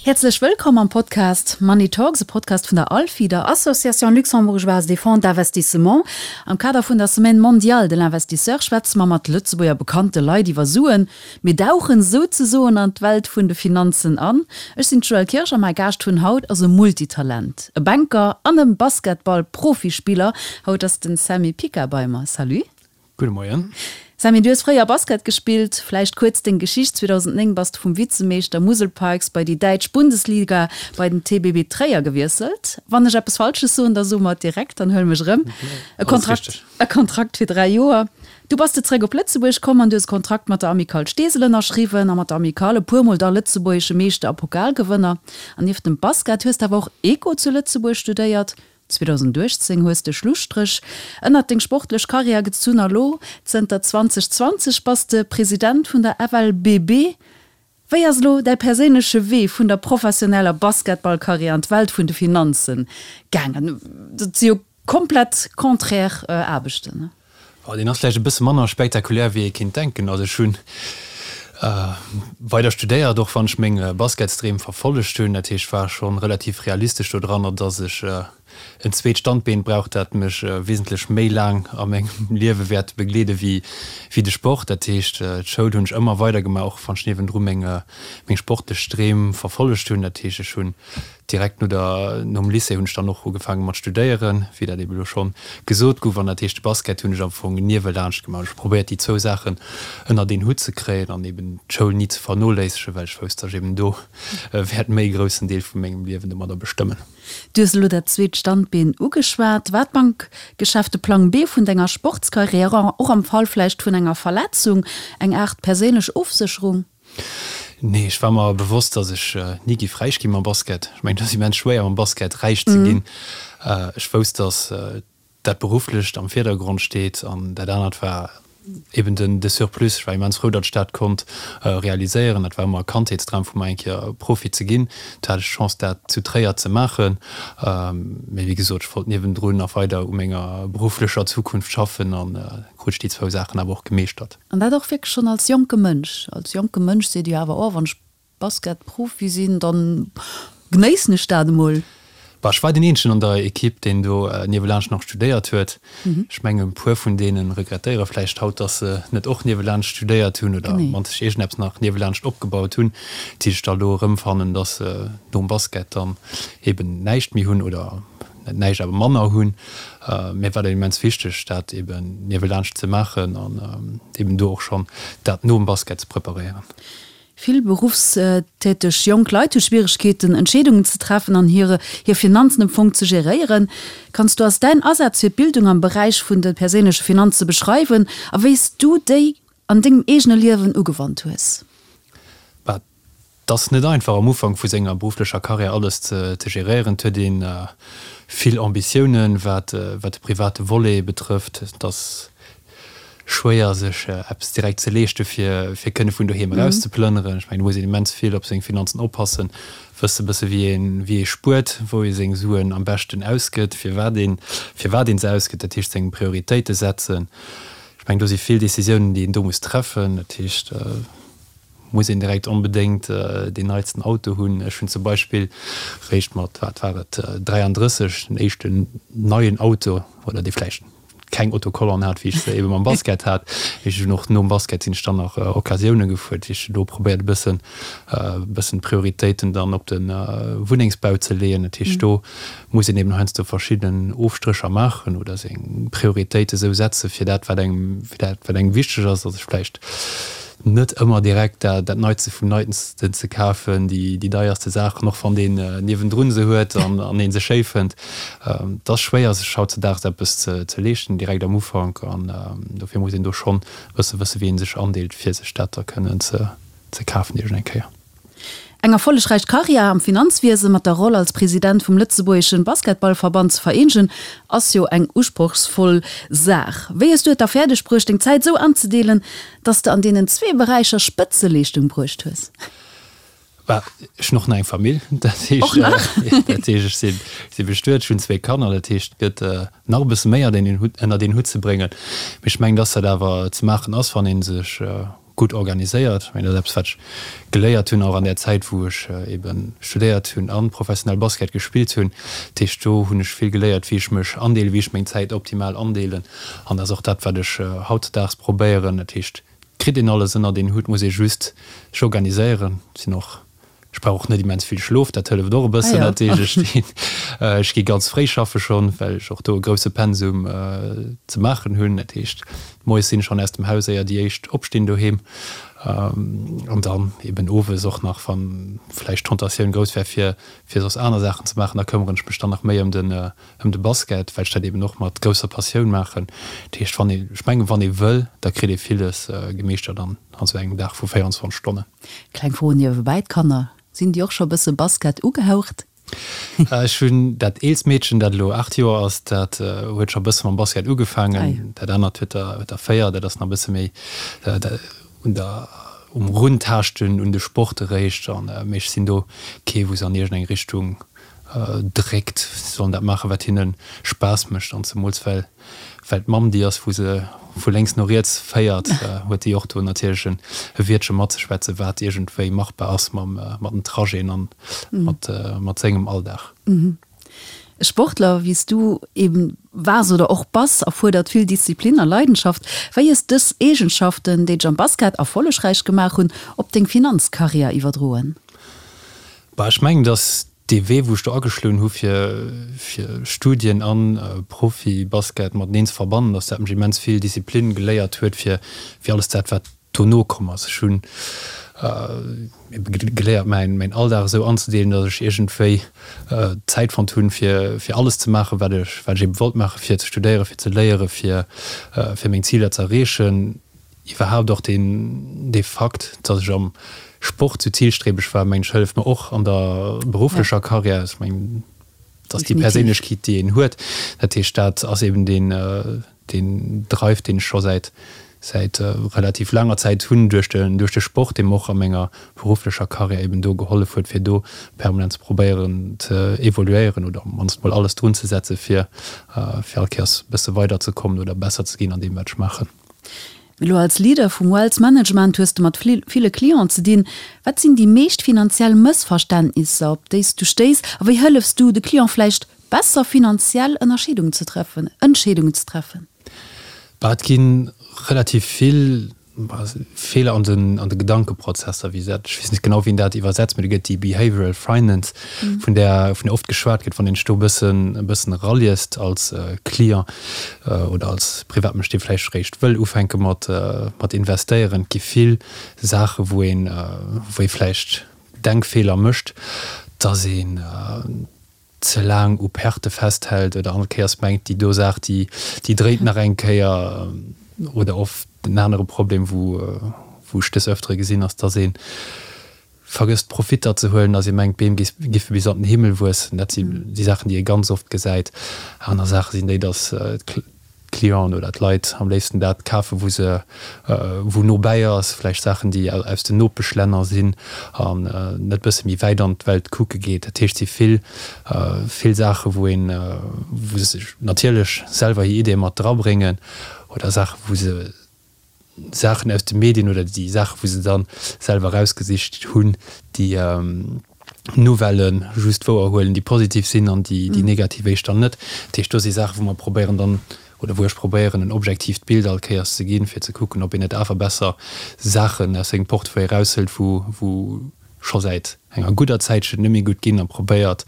Häerzlech wëllkomm am Podcast Money Talks, e Podcast vun der ALFI, der Association Luxembourgeoise des Fonds d'Investissement. Am Kader vun der Semaine mondiale de l'investisseur schwätze mer mat Lëtzebuerger bekannte Leit iwwer Suen. Mir dauchen souzesoen an d'Welt vun de Finanzen an. Ech sinn d'Joëlle Kirsch a mäi Gaascht vun haut ass e Multitalent, e Banker an e Basketball-Profispiller. Haut ass den Sammy Pica bei mer. Salut. Gudde Moien. Sammy, du hues fréier Basket gespillt. Vläicht kuerz deng Geschicht, 2009 bass de vum Vizemeeschter Musel Pikes bei déi däitsch Bundesliga bei den TBB Tréier gewiesselt. Wann ech eppes Falsches soen, da so mer et direkt, dann huele mech erëm. E Kontrakt, e Kontrakt fir 3 Joer. Du bass de zeréck op Lëtzebuerg komm an du hues e Kontrakt mat der Amicale Steesel ënnerschriwwen a mat der Amicale e puer Mol da lëtzebuergesche Meeschter a Pokalgewënner. An nieft dem Basket hues de awer och Eco zu Lëtzebuerg studéiert. 2018 hues de Schlusstréch ënnert deng sportlech Karriär gezunn a lo, zënter 2020, bass de President vun der FLBB. Wéi ass elo däi perséinleche Wee vun der professioneller Basketballkarriär an d'Welt vun de Finanzen gaangen? Dat si jo komplett contraire Aarbechten. Oh, deen ass vläicht e bësse manner spektakulär wéi ee kinnt denken. Also ech hunn weider studéiert, och wann ech meng Basketsdreem verfollegt hunn. Dat heescht, ech war schonn relativ realistesch do dranner, dass ech en zweet Standbeen brauch, dat mech wesentlech méi laang a mengem Liewe wäert begleede wéi de Sport. Dat heescht, d'Schoul hunn ech ëmmer weider gemaach, och wann ech niewendru meng sportlech Dreem verfollegt hunn. Dat heescht, ech hunn Direkt no der, nom Lycée hunn ech dann och ugefaange mat studéieren, wéi dat ebe lo schonn gesot gouf. An dat heescht, de Basket hunn ech am Fong niewelaanscht gemaach. Ech hu probéiert, déi zwou Saachen ënnert een Hutt ze kréien an eben d'Schoul ni ze vernoléissegen, well ech wousst, datt ech eben do wäert méi groussen Deel vu mengem Liewen domadder bestëmmen. Du hues elo dat zweet Standbeen ugeschwat. War d'Bankgeschäft de Plang B vun denger Sportskarriär, och am Fall vläicht vun enger Verletzung, eng Aart perséinlech Ofsécherung? Nee, ech war mer bewosst, dass ech ni giff räich gi mam Basket. Ech mengen, et ass immens schwéier mam Basket räich ze ginn. Ech wousst, dass dat Berufflecht am Virdergrond steet an dat anert war eben den de Surplus. Ech war immens frou, datt ech dat konnt realiséieren. Dat war ëmmer e Kandheetsdram vu mer, eng Kéier Profi ze ginn. Do hat ech d'Chance, dat zu Tréier ze maachen. Mee wéi gesot, ech wollt niewendrun nach weider u menger berufflecher Zukunft schaffen an krut ech déi zwou Saachen awer och gemeeschtert. An dat och wierklech schonn als jonke Mënsch. Als jonke Mënsch seet ee jo awer, oh, wann ech Basketprofi sinn, da genéissen ech dat emol. Bah, ech war deen eenzegen an der Ekipp, deen do niewelaanscht nach studéiert huet. Ech mengen, e puer vun deene regrettéiere vläicht haut, dass se net och niewelaanscht studéiert hunn oder mat sech iergendeppes nach niewelaanscht opgebaut hunn, déi sech da elo erëmfannen, dass se nom Basket dann eben näischt méi hunn oder net näischt, awer manner hunn. Mir war dat immens wichteg, dat eben niewelaanscht ze maachen an eben do och schonn dat nom Basket ze preparéieren. Vill beruffstäteg jonk Leit hu Schwieregkeeten, Entscheedungen ze treffen an hire hir Finanzen am Fong ze geréieren. Kanns du eis däin Asaz fir d'Bildung am Beräich vun de perséinleche Finanze beschreiwen a wéi s du déi an dengem eegene Liewen ugewannt hues? Bah, 't ass net einfach am Ufank vu senger berufflecher Karriär alles ze geréieren. 't huet ee vill Ambitiounen, wat de private Volet betrëfft. 't ass schwéier sech eppes direkt ze leeschte fir fir kënne vun doheem eraus ze plënneren. Ech mengen do muss een immens vill op seng Finanzen oppassen, wësse bësse wéi een wéi ee spuert, wou ee seng Suen am beschten ausgëtt, firwat een firwat een se ausgëtt, dat heescht seng Prioritéite setzen. Ech mengen do si vill Decisiounen déi een do muss treffen, dat heescht muss een direkt onbedéngt deen neitsten Auto hunn. Ech hunn zum Beispill réischt mat, wat war et, 33 den éischten neien Auto, oder dee vläicht keng Autocollant hat, wéi ech se ebe mam Basket hat. Ech hunn och nom Basket sinn ech dann nach Occasioune gefuer, dat heescht do probéiert e bëssen e bëssen d'Prioritéiten dann op de Wunnengsbau ze leeën. Dat heescht do muss een eben heiansdo verschidden Ofstrécher maachen oder seng Prioritéite sou setze fir dat wat engem fir dat wat engem wichteg ass, datt ech vläicht net ëmmer direkt dat dat Neitste vum Neitsten ze kafen, déi déi deierste Saachen, och wann deen niewendrun se huet an an ee se schéi fënnt. Et ass schwéier sech hautzedaags eppes ze ze leeschten direkt am Ufank an dofir muss een do schonn e bësse wësse wéi ee sech andeelt fir sech dat da kënnen ze ze kafen iergend eng Kéier. Eng erfollegräich Karriär am Finanzwiese mat der Roll als President vum lëtzebuergeschen Basketballverband ze vereenegen, ass jo eng usprochsvoll Saach. Wéi hues du et da fäerdeg bruecht, deng Zäit esou anzedeelen, dass de an deenen zwee Beräicher Spëtzeleeschtung bruecht hues? Bah, ech hunn och nach eng Famill, dat heescht, Och nach? dat heescht ech sinn, si bestuet, ech hunn zwee Kanner, dat heescht et gëtt nach e bësse méi an een Hutt, ënnert een Hutt ze bréngen. Mee ech mengen, dass dat awer ze maachen ass, wann ee sech. gutt organiséiert. Ech mengen, dat ass eppes, wat ech geléiert hunn, och an där Zäit, wou ech ebe studéiert hunn a professionell Basket gespillt hunn. Dat heescht, do hunn ech vill geléiert, wéi ech mech andeelen, wéi ech meng Zäit optimal andeelen. An dat ass och dat, wat ech hautdesdaags probéieren. Dat heescht, et kritt een alles ënnert een Hutt, muss ee just sech organiséieren. Et sinn och Ech brauch och net immens vill Schlof, dat hëlleft och e bëssen. Dat heescht, ech stinn, ech gi ganz fréi schaffe schonn, well ech och do e grousse Pensum ze maachen hunn. Dat heescht, moies sinn ech schonn aus dem Haus, éier déi éischt opstinn doheem. An dann eben owes och nach, wa vläicht d'Tentatioun grouss wär, fir fir soss aner Saachen ze maachen, da këmmeren ech mech dann nach méi ëm den ëm de Basket, well ech dat eben och mat grousser Passioun maachen. Dat heescht, wann ee, ech mengen, wann ee wëll, da kritt ee villes gemeeschtert an esou engem Dag vu 24 Stonnen. Kleng Fro niewebäi, d'Kanner, sinn déi och scho bësse Basket ugehaucht? Ech hunn dat eelst Meedchen, dat elo 8 Joer ass, dat huet scho bësse mam Basket ugefaangen. Dat anert huet der huet der 4, dat ass nach bësse méi un der um Runtaaschten un de Sport eréischt. An mee ech sinn do kee wou se an iergendeng Richtung dréckt. Si sollen dat maachen, wat hinne Spaass mécht an zemools well Well d'Mamm déi ass, wou se vu lénks no riets féiert, huet déi och do natierlech e Wiertche matzeschwätzen, wat iergendwéi machbar ass mam, mat den Trajeten an mat, mat sengem Alldag. E Sportler, wéi s du eben waars oder och bass, erfuerdert vill Disziplin a Leidenschaft. Wéi hues dës Eegenschaften, déi dech am Basket erfollegräich gemaach hunn, op deng Finanzkarriär iwwerdroen? Bah, ech mengen, datt Dee Wee wou ech do ageschloen hu fir fir Studien an Profi-Basket mateneen ze verbannen, datt dat mech immens vill Disziplin geléiert huet fir fir alles dat wat dono komm ass. Ech hunn ebe geléiert mäin mäin Alldag esou anzedeelen, datt ech iergendwéi Zäit fonnt hunn fir fir alles ze maachen wat ech wat ech ebe wollt maachen, fir ze studéieren, fir ze léieren, fir fir meng Ziler ze erreechen. Iwwerhaapt och deen, dee Fakt, dass ech am Sport sou zilstrebeg war, mengen ech, hëlleft mer och an der berufflecher Karriär. Ech mengen, dat ass déi Perséinlechkeet, déi een huet. Dat heescht, dat ass eben deen, deen Drive, deen ech scho säit, säit relativ laanger Zäit hunn duerch de, duerch de Sport, dee mer och a menger berufflecher Karriär eben do gehollef huet, fir do permanent ze probéieren ze evoluéieren oder op d'mannst mol alles drun ze setzen, fir, fir all Kéiers e bësse weiderzekommen oder besser ze ginn an deem, wat ech maachen. Elo als Leader vum Wealth Management hues de mat ville Clienten ze dinn. Wat sinn déi meescht finanziell Mëssverständnisser, op déi s du stéiss, a wéi hëllefs du de Client vläicht besser finanziell Ënnerscheedungen ze treffen, Entscheedungen ze treffen? Bah, et gi relativ vill Feeler an den an de Gedankeprozesser, wéi se dat, ech weess net genau wéi een dat iwwersetzt, mee do gëtt déi Behavioral Finance, vun där vun där oft geschwat gëtt, wann een sech do e bëssen e bëssen eraliest als Client oder als Privatmënsch, dee vläicht eréischt wëll ufänke mat mat investéieren. Et gi vill Saache wou een wou ee vläicht Denkfeeler mécht, dass een ze laang u Perte festhält oder all Kéiers mengt, déi do Saach, déi déi dréit nach eng Kéier. Oder oft en anere Problem, wou wou ech des Ëftere gesinn, ass, dass ee vergësst Profitter ze huelen, dass ee mengt, d'Beem giffe bis an den Himmel wuessen. Dat si déi Saachen, déi ee ganz oft gesäit. Aner Saache sinn déi, dass d'Clienten oder d'Leit am léifsten dat kafen, wou se, wou no bäi ass, vläicht Saachen, déi aus den Nopeschlänner sinn an net bësse méi wäit an d'Welt kucke geet. Dat heescht, et si vill, vill Saache wou een, wou se sech natierlech selwer hir Ideeë mat drabréngen oder Saache wou se Saachen aus de Medien oder déi Saache wou se dann selwer erausgesicht hunn, déi Nouvellë just wouer huelen, déi positiv sinn an déi déi negativ éischter net. Dat heescht, do si Saache wou mer probéieren dann, oder wou ech probéieren en objektiivt Bild all Kéiers ze ginn, fir ze kucken, ob een net awer besser Saachen aus sengem Portefeuille eraushëlt, wou wou scho säit enger gudder Zäitchen net méi gutt ginn a probéiert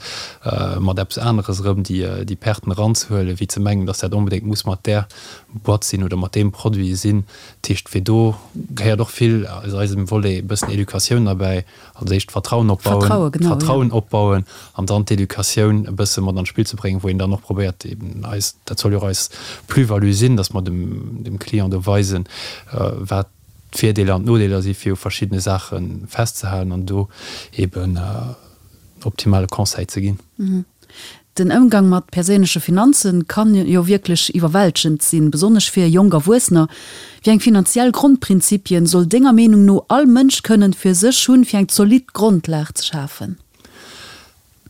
mat eppes aneres erëm déi Perten eranzehuelen, wéi ze mengen, datt dat onbedéngt muss mat där Boîte sinn oder mat deem Produit sinn. Dat heescht, fir do gehéiert och vill aus eisem Volet e bëssen Educatioun derbäi, als éischt Vertrauen opbauen, Vertrauen opbauen an dann d'Educatioun e bësse mat an d'Spill ze bréngen, wou een dann och probéiert eben eis, dat soll jo och eis Plus-value sinn, datt mer dem Client do weisen, wat d'Virdeeler an d'Nodeeler si fir u verschiddene Saache festzehalen an do eben optimale Conseil ze ginn. Den Ëmgang mat perséinleche Finanze kann jo wierklech iwwerwältegend sinn, besonnesch fir jonk Erwuessener. Wéi eng finanziell Grondprinzipien soll denger Meenung no all Mënsch kënnen fir sech hunn, fir eng zolidd Grondlag ze schafen?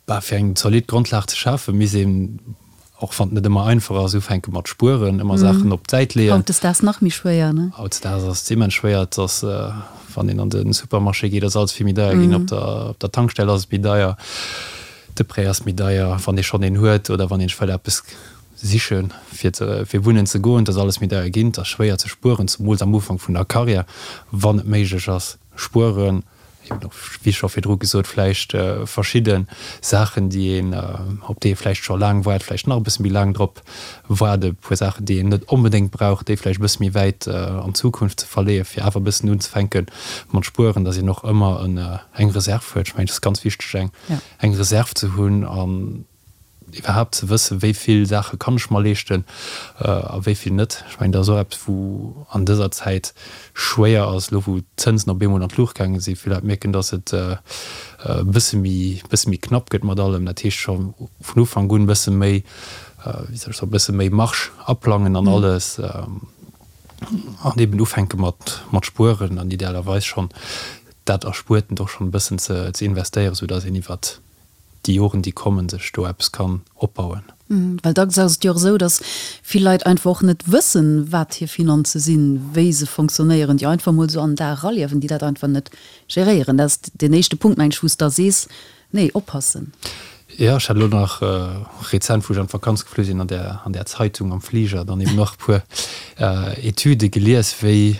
Bah, fir eng zolidd Grondlag ze schafen, misst een. Och wann et net ëmmer einfach ass, ufänke mat spueren, ëmmer Saachen op d'Säit leeën. Hautdesdaags nach méi schwéier, ne? Hautdesdaags ass et immens schwéier. Et ass, wann een an de Supermarché geet, ass alles vill méi deier ginn. Op der, op der Tankstell ass et méi deier, de Prêt ass méi deier, wann ee schonn een huet oder wann een sech wëll eppes sichen, fir ze, fir wunnen ze goen. Et ass alles méi deier ginn. Et ass schwéier ze spueren, zemools am Ufank vun der Karriär, wann et méiglech ass, spueren. Eben och, wéi scho virdru gesot, vläicht verschidde Saachen, déi een, op déi ee vläicht scho laang waart, vläicht nach e bësse méi laang drop waart, e puer Saachen, déi een net onbedéngt brauch, déi vläicht e bësse méi wäit an d'Zukunft ze verleeën, fir awer e bëssen unzefänke mat spueren, dass een och ëmmer eng Reserv huet. Ech mengen, et ass ganz wichteg, eng Reserv ze hunn an iwwerhaapt ze wëssen, wéi vill Saache kann ech mer leeschten a wéi vill net. Ech mengen, dat ass och eppes, wou an dëser Zäit schwéier ass, elo wou d'Zënsen op eemol an d'Luucht gaange sinn, vill Leit mierken, datt et e bësse méi, bësse méi knapp gëtt mat allem. Dat heescht scho vun Ufank un e bësse méi, wéi soll ech soen, e bësse méi Marge aplangen an alles an eben ufänke mat, mat spueren an idealerweis schonn dat Erspuertent och schonn e bëssen ze, ze investéieren, soudatt een iwwert déi Joren déi kommen sech do eppes kann opbauen. Well dacks ass et jo och esou, datt vill Leit einfach och net wëssen, wat hir Finanze sinn, wéi se fonctionnéieren, déi einfach emol esou an den Dag eraliewen, déi dat einfach net geréieren. Dat ass deen éischte Punkt, meng ech, wou s de da sees, nee, oppassen. Jo, ech hat elo nach rezent, wou ech an d'Vakanz geflu sinn, an där, an där Zeitung am Fliger dann eben nach e puer Etüde gelies, wéi,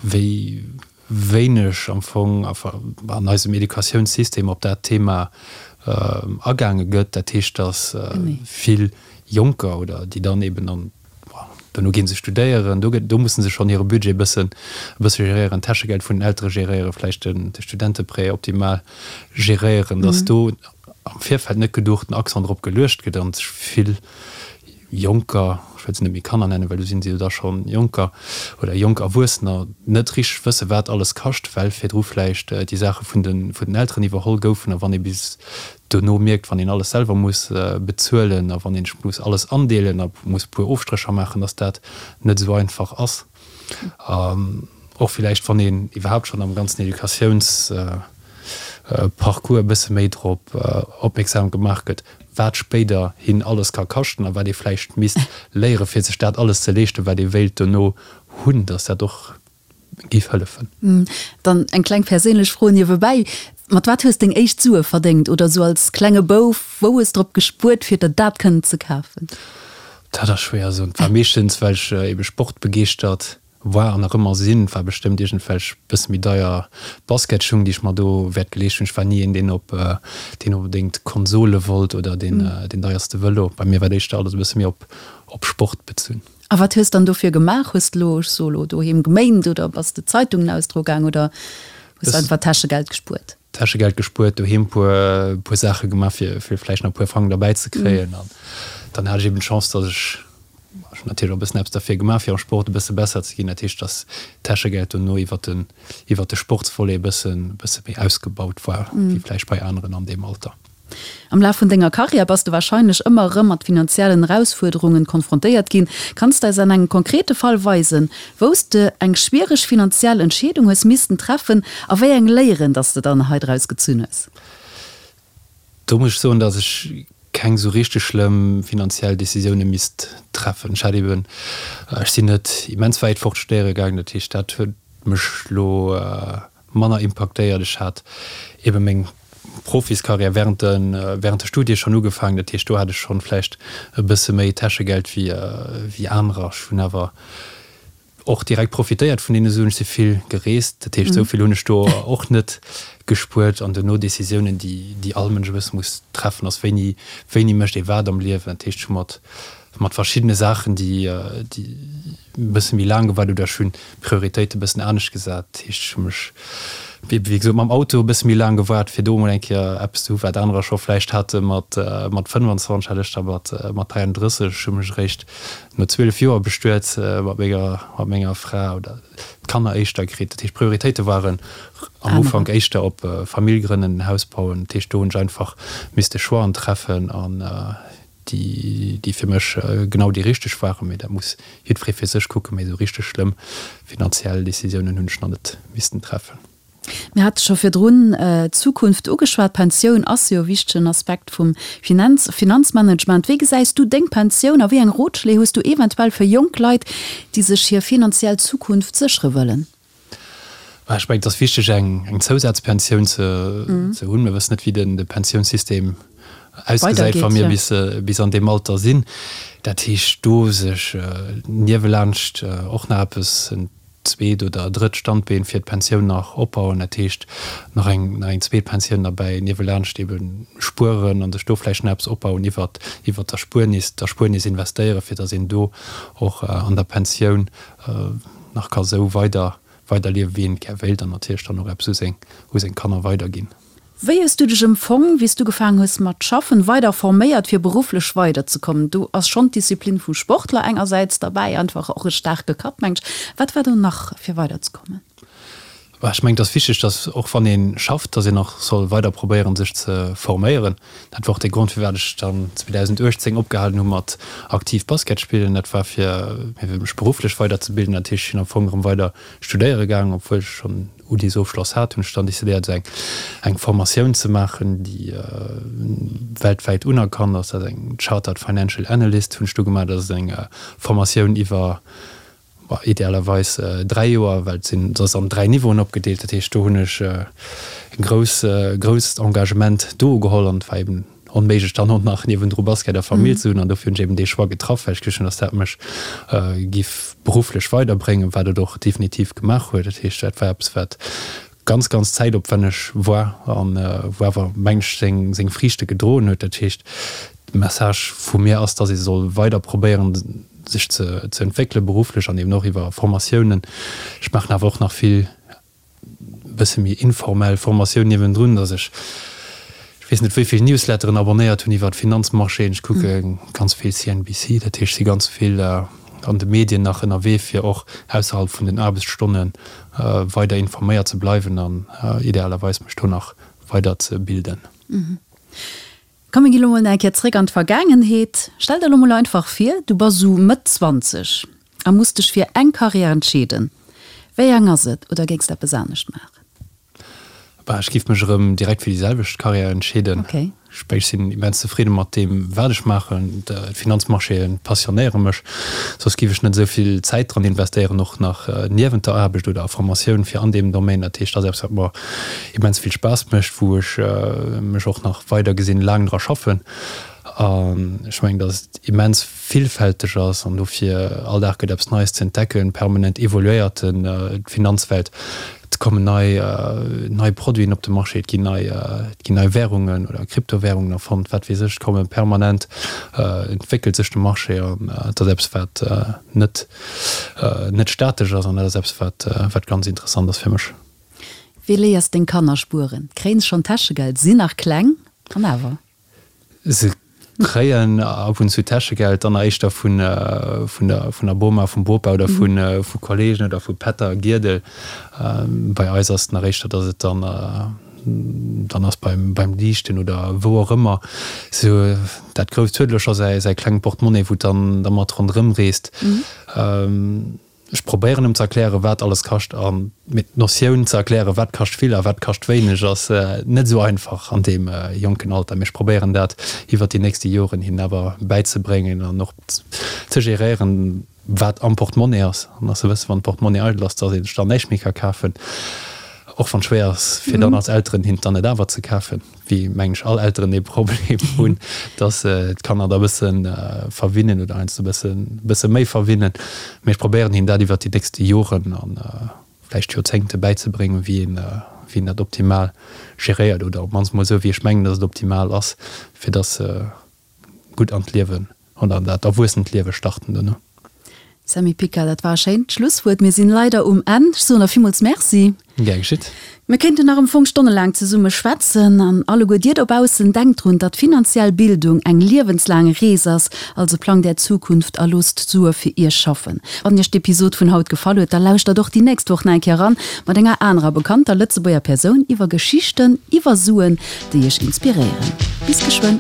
wéi wéineg am Fong an eisem Educatiounssystem op dat Thema agaange gëtt. Dat heescht, datt vill Jonker oder déi dann eben an, dono gi se studéieren, do gëtt, do musse se schonn hire Budget e bëssen, e bësse geréieren, d'Täschegeld vun den Eltere geréieren, vläicht den, de Studenteprêt optimal geréieren, datt do am Virfeld net geduch den Accent drop geluecht gëtt an sech vill Jonker, ech wëll se net méi Kanner nennen, well do sinn se jo da schonn Jonker oder jonk Erwuessener, net richteg wësse wat alles kascht, well virdru vläicht déi Saache vun de vun den Elteren iwwerholl goufen. A wann ee bis dono mierkt, wann een alles selwer muss bezuelen a wann een sech muss alles andeelen a muss e puer Ofstrécher maachen, dass dat net esou einfach ass. An och villäicht, wann een iwwerhaapt schonn am ganzen Educatiouns Parcours e bësse méi drop opmierksam gemaach gëtt, wat spéider hin alles ka kaschten a wat ee vläicht misst léiere fir sech dat alles ze leeschten, wat ee wéilt dono hunn, dass dat och géif hëllefen. Dann eng kleng perséinlech Fro niewebäi, Mat wat hues deng éischt Sue verdéngt oder sou als klenge Bouf, wou hues drop gespuert fir der dat kënnen ze kafen? Dat ass schwéier ze soen. Et war meeschtens, well ech ebe sportbegeeschtert War an nach ëmmer sinn. War bestëmmt iergendwelch bësse méi deier Basketschung, déi ech mer do wäert geleescht hunn. Ech war ni een, deen op, deen onbedéngt Konsole wollt oder deen, deen deierste Vëlo. Bei mir war et éischter alles e bësse méi op, op Sport bezunn. A wat hues dann dofir gemaach? Hues de lo, ech soe lo, doheem geméint oder bass de Zeitungen ausdroe gaang oder hues de einfach Täschegeld gespuert? Täschegeld gespuert, doheem puer, puer Saache gemaach, fir, fir vläicht nach e puer Frang derbäi ze kréien. An dann hat ech eben d'Chance, datt ech, ech hunn natierlech och e bëssen eppes derfir gemaach, fir am Sport e bësse besser ze ginn. Dat heescht, datt d'Täschegeld dono iwwer den, iwwer de Sportsvolet e bëssen, e bësse méi ausgebaut war, wéi vläicht bei aneren an deem Alter. Am Laf vun denger Karriär bass de warscheinlech ëmmer erëm mat finanziellen Erausfuerderungen konfrontéiert ginn. Kanns de eis an engem konkrete Fall weisen, wou s de eng schwiereg finanziell Entscheedung hues missten treffen a wéi eng Léieren dass de dann hei draus gezunn hues? Do muss ech soen, dass ech keng sou richteg schlëmm finanziell Decisioune misst treffen. Ech hat eben, ech sinn net immens wäit fort studéiere gaangen, dat heescht dat huet mech lo manner impaktéiert. Ech hat ebe meng Profiskarriär während de während de Studie schonn ugefaangen, dat heescht do hat ech schonn vläicht e bësse méi Täschegeld wéi wéi anerer. Ech hunn awer och direkt profitéiert vun deene Suen, ech si vill gereest, dat heescht esou vill hunn ech do och net gespuert. An duerno Decisiounen déi déi all Mënsch e bësse muss treffen ass, wéini wéini mécht ee wat am Liewen. Dat heescht ech hu mat mat verschiddene Saachen déi déi e bësse méi laang gewaart oder ech hunn d'Prioritéite e bëssen anescht gesat. Dat heescht, ech hu mech, wéi gesot, mam Auto e bësse méi laang gewaart, fir do emol eng Kéier eppes ze hu wat anerer scho vläicht hate mat mat 25, hat ech da mat mat 33. Ech hu mech eréischt no 12 Joer bestuet mat menger mat menger Fra oder d'Kanner éischter kritt. Dat heescht, d'Prioritéite waren am Ufank éischter op Famill grënnen, Haus bauen. Dat heescht, do hunn ech einfach misste Choixen treffen an déi déi fir mech genau déi richteg waren, mee dat muss jiddweree fir sech kucken, mee esou richteg schlëmm finanziell Decisiounen hunn ech nach net missten treffen. Mir hate scho virdrun d'Zukunft ugeschwat. D'Pensioun ass jo e wichtegen Aspekt vum Finanz, Finanzmanagement. Wéi gesäis du deng Pensioun a wéi eng Rotschléi hues du eventuell fir jonk Leit, déi sech hir finanziell Zukunft séchere wëllen? Ech mengen, et ass wichteg, eng Zousazpensioun ze hunn. Mir wëssen net, wéi de Pensiounssystem ausgesäit, wa mir bis an deem Alter sinn. Dat heescht, do sech niewelaanscht och nach eppes, en zweet oder drëtt Standbeen fir d'Pensioun nach opbauen, dat heescht nach eng nach eng zweet Pensioun derbäi niewelaanscht ebe spueren a sech do vläicht nach eppes opbauen iwwert iwwert d'Erspuernis, d'Erspuernis investéieren, fir datt een do och an der Pensioun nach ka sou weider weiderliewen, wéi een et gär wéilt an natierlech dann och eppes u seng u seng Kanner weiderginn. Wéi hues du dech emfong, wéi s du gefaang hues mat schaffen, weider forméiert fir berufflech weider ze kommen? Do ass schonn d'Disziplin vum Sportler engersäits derbäi, einfach och e staarke Kapp, mengt ech. Wat war do nach fir weider ze kommen? Ech mengen, et ass wichteg, dass och wann ee schafft, dass een och soll weider probéieren, sech ze forméieren. Dat war och de Grond, firwat ech dann 2018 opgehalen hu mat aktiv Basket spillen. Dat war fir mech berufflech weiderzebilden. Dat heescht, ech sinn am Fong erëm weider studéiere gaangen, obwuel ech schonn Unisofschloss hat, hunn ech dann decidéiert esou eng eng Formatioun ze maachen, déi weltwäit unerkannt ass. Dat ass eng Chartered Financial Analyst hunn ech do gemaach. Dat ass eng Formatioun iwwer, bon, idealerweis 3 Joer, well et sinn, et ass an 3 Niveauen opgedeelt. Dat heescht, do hunn ech e grouss grousst Engagement do ugeholl an et war eben onméiglech dann och nach niewendru Basket a Famill ze hunn an dofir hunn ech eben dee Choix getraff, well ech geduecht hunn, dass dat mech giff berufflech weiderbréngen, wat et och definitiv gemaach huet. Dat heescht, dat war eppes wat ganz, ganz zäitopwänneg war an wou awer mengen ech seng seng Friichte gedroen huet. Dat heescht, de Message vu mir ass, dass ee soll weider probéieren sech ze ze entwéckele berufflech an eben och iwwer Formatiounen. Ech maachen awer och nach vill bësse méi informell Formatioun niewendrun, dass ech, ech weess net wéi vill Newsletteren abonnéiert hunn iwwert d'Finanzmarchéen. Ech kucke ganz vill CNBC, dat heescht, ech si ganz vill an de Medien nach ënnerwee, fir och ausserhalb vun den Aarbechtsstonne weider informéiert ze bleiwen an idealerweis mech do nach weider ze bilden. Komm mir gi lo mol nach eng Kéier zréck an d'Vergaangenheet. Stell der lo mol einfach vir, du bass sou Mëtt 20 a muss dech fir eng Karriär entscheeden. Wéi eng ass et oder géings de eppes anescht maachen? Bah, ech giff mech erëm direkt fir déi selwecht Karriär entscheeden. Okay. Ech sinn immens zefridde mat deem, wat ech maachen. D'Finanzmarchéen passionéiere mech, soss giff ech net esou vill Zäit dran investéieren, och nach niewent der Aarbecht oder a Formatioun fir an deem Domaine. Dat heescht, dat ass eppes, wat mer immens vill Spaass mécht, wou ech mech och nach weider gesinn laang dra schaffen. An ech mengen, datt et immens villfälteg ass an dofir all Dag gëtt eppes Neies ze entdecken, permanent evoluéiert d'Finanzwelt, et kommen nei nei Produiten op de Marché, et ginn nei et ginn nei Währungen oder Kryptowährungen erfonnt, wat weess ech, et komme permanent entwéckelt sech de Marché an et ass eppes wat net net statesch ass an dat ass eppes wat wat ganz interessant ass fir mech. Wéi léiers deng Kanner spueren? Kréien se schonn Täschegeld? Sinn nach kleng an awer. Se kréien ab und zu Täschegeld, dann éischter vun vun der vun der Boma, vum Bopa oder vu vu Kollegen oder vu Pätter, Giedel. Bei eis ass et nach éischter, datt et dann dann ass beim beim Liichten oder wou och ëmmer. Sou dat Grousst huet elo scho säi säi klengt Portemonnaie, wou et dann dermat ronderëm reest. Ech probéieren em ze erklären, wat alles kascht an mee d'Notioun ze erklären, wat kascht vill a wat kascht wéineg, ass net esou einfach an deem jonken Alter. Mee ech probéieren dat iwwert déi nächste Joren hinnen awer bäizebréngen an och ze geréieren, wat am Portemonnaie ass an dass se wëssen, wann d'Portemonnaie eidel ass, dass ee sech dann näischt méi ka kafen, och wann et schwéier ass fir dann als Elteren hinnen dann et awer ze kafen. wéi mengen ech all Elteren dee Problem hunn, dass se d'Kanner da bësse verwinnen oder heiansdo bësse bësse méi verwinnen. Mee ech probéieren hinnen dat iwwert déi nächste Joren a vläicht Joerzéngte bäizebréngen, wéi een wéi een dat optimal geréiert oder op d'mannst mol esou wéi ech mengen, dass et optimal ass, fir dass se gutt an d'Liewen oder an dat erwuessent Liewe starten duerno. Sammy Picker, dat war e schéint Schlusswuert. Mir sinn leider um Enn. Ech soen der villmools Merci. Gär geschitt. Mir kéinten nach am Fong stonnelaang zesumme schwätzen. An alleguer dir dobaussen, denkt drun, datt finanziell Bildung eng liewenslaang Rees ass. Also plangt är Zukunft a loosst d'Sue fir iech schaffen. Wann iech d'Episod vun haut gefall huet, da lauschtert och déi nächst Woch nach eng Kéier eran mat enger anerer bekannter Lëtzebuerger Persoun iwwer Geschichten iwwer Suen, déi iech inspiréieren. Bis geschwënn!